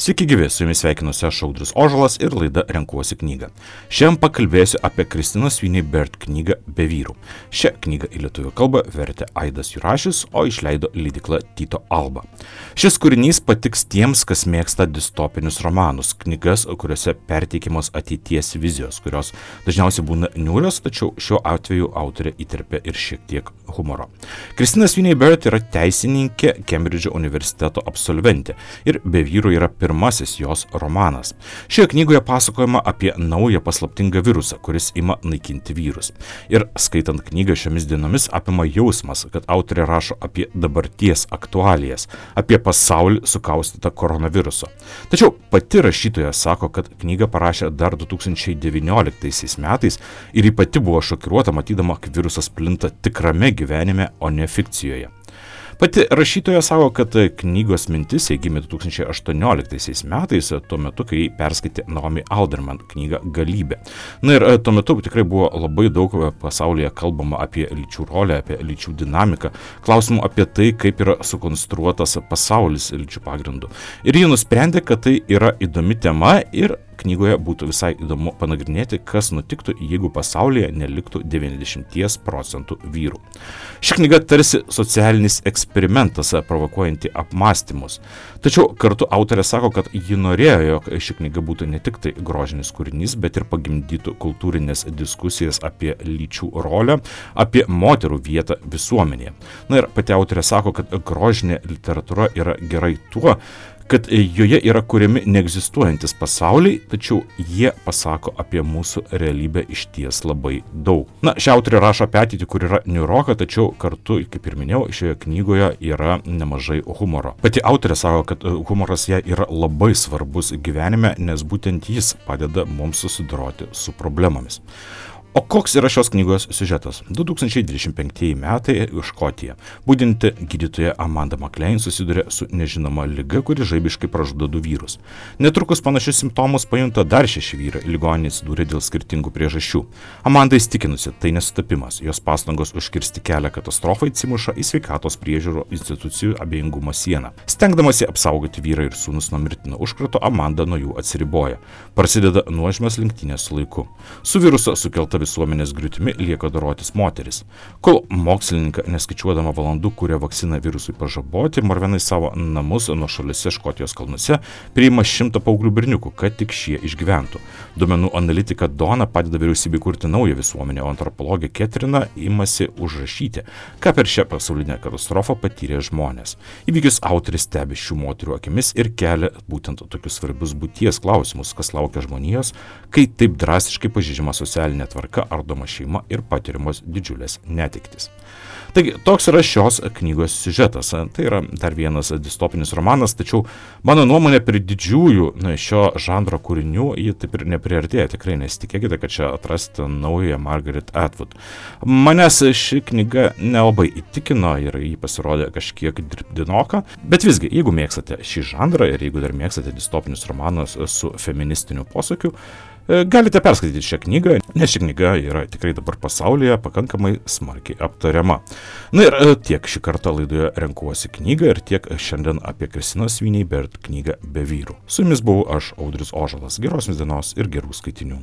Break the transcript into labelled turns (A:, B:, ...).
A: Sveiki gyvi, su jumis sveikinuosi aš Audrius Ožalas ir laida Renkuosi knygą. Šiandien pakalbėsiu apie Kristinos Sweeney-Baird knygą Be vyrų. Šią knygą į lietuvių kalbą vertė Aidas Jurašis, o išleido leidykla Tyto Alba. Šis kūrinys patiks tiems, kas mėgsta distopinius romanus, knygas, kuriuose perteikiamos ateities vizijos, kurios dažniausiai būna niūrios, tačiau šiuo atveju autorė įterpia ir šiek tiek humoro. Kristina Sweeney-Baird yra teisininkė, Kembridžo universiteto absolventė ir Be vyrų yra pirmasis jos romanas. Šioje knygoje pasakojama apie naują paslaptingą virusą, kuris ima naikinti vyrus. Ir skaitant knygą šiomis dienomis apima jausmas, kad autorė rašo apie dabarties aktualijas, apie pasaulį sukaustytą koronaviruso. Tačiau pati rašytoja sako, kad knygą parašė dar 2019 metais ir ji pati buvo šokiruota matydama, kaip virusas plinta tikrame gyvenime, o ne fikcijoje. Pati rašytoja sako, kad knygos mintis gimė 2018 metais, tuo metu, kai perskaitė Naomi Alderman knygą Galybė. Na ir tuo metu tikrai buvo labai daug pasaulyje kalbama apie lyčių rolę, apie lyčių dinamiką, klausimų apie tai, kaip yra sukonstruotas pasaulis lyčių pagrindų. Ir ji nusprendė, kad tai yra įdomi tema ir knygoje būtų visai įdomu panagrinėti, kas nutiktų, jeigu pasaulyje neliktų 90% vyrų. Ši knyga tarsi socialinis eksperimentas, provokuojanti apmąstymus. Tačiau kartu autorė sako, kad ji norėjo, jog ši knyga būtų ne tik tai grožinis kūrinys, bet ir pagimdytų kultūrinės diskusijas apie lyčių rolę, apie moterų vietą visuomenėje. Na ir pati autorė sako, kad grožinė literatūra yra gerai tuo, kad joje yra kuriami neegzistuojantis pasauliai, tačiau jie pasako apie mūsų realybę išties labai daug. Na, ši autorė rašo apie ateitį, kur yra niūroka, tačiau kartu, kaip ir minėjau, šioje knygoje yra nemažai humoro. Pati autorė sako, kad humoras jai yra labai svarbus gyvenime, nes būtent jis padeda mums susidoroti su problemomis. O koks yra šios knygos siužetas? 2025 metai Škotija. Budinti gydytoja Amanda McLean susiduria su nežinoma liga, kuri žaibiškai pražudo 2 vyrus. Netrukus panašius simptomus pajunta dar 6 vyrai, ligoninėje atsidūrė dėl skirtingų priežasčių. Amanda įstikinusi, tai nesutapimas, jos pastangos užkirsti kelią katastrofai atsimuša į sveikatos priežiūro institucijų abejingumo sieną. Stengdamasi apsaugoti vyrą ir sūnus nuo mirtino užkrato, Amanda nuo jų atsiriboja. Prasideda nuožmios lenktynės su laiku. Su viruso sukelta visuomenės griūtimi lieka dorotis moteris. Kol mokslininkai neskaičiuodama valandų kuria vakciną virusui pažaboti, morvenai savo namus nuošaliuose Škotijos kalnuose priima 100 paauglių berniukų, kad tik šie išgyventų. Duomenų analitika Donna padeda vyriausybei kurti naują visuomenę, o antropologė Ketrina imasi užrašyti, ką per šią pasaulinę katastrofą patyrė žmonės. Įvykius autorius stebi šių moterų akimis ir kelia būtent tokius svarbius būties klausimus, kas laukia žmonijos, kai taip drastiškai pažeidžiama socialinė tvarka, ardoma šeima ir patiriamos didžiulės netektys. Taigi, toks yra šios knygos siužetas. Tai yra dar vienas distopinis romanas, tačiau mano nuomonė prie didžiųjų šio žanro kūrinių jį taip ir nepriartėja. Tikrai nesitikėkite, kad čia atrasite naują Margaret Atwood. Manęs ši knyga nelabai įtikino ir jį pasirodė kažkiek dirbdinoka, bet visgi, jeigu mėgstate šį žanrą ir jeigu dar mėgstate distopinius romanus su feministiniu posakiu, galite perskaityti šią knygą, nes ši knyga yra tikrai dabar pasaulyje pakankamai smarkiai aptariama. Na ir tiek šį kartą laidoje Renkuosi knygą ir tiek šiandien apie Kristinos Sweeney-Baird knygą Be vyrų. Su jumis buvau aš, Audrius Ožalas. Geros jums dienos ir gerų skaitinių.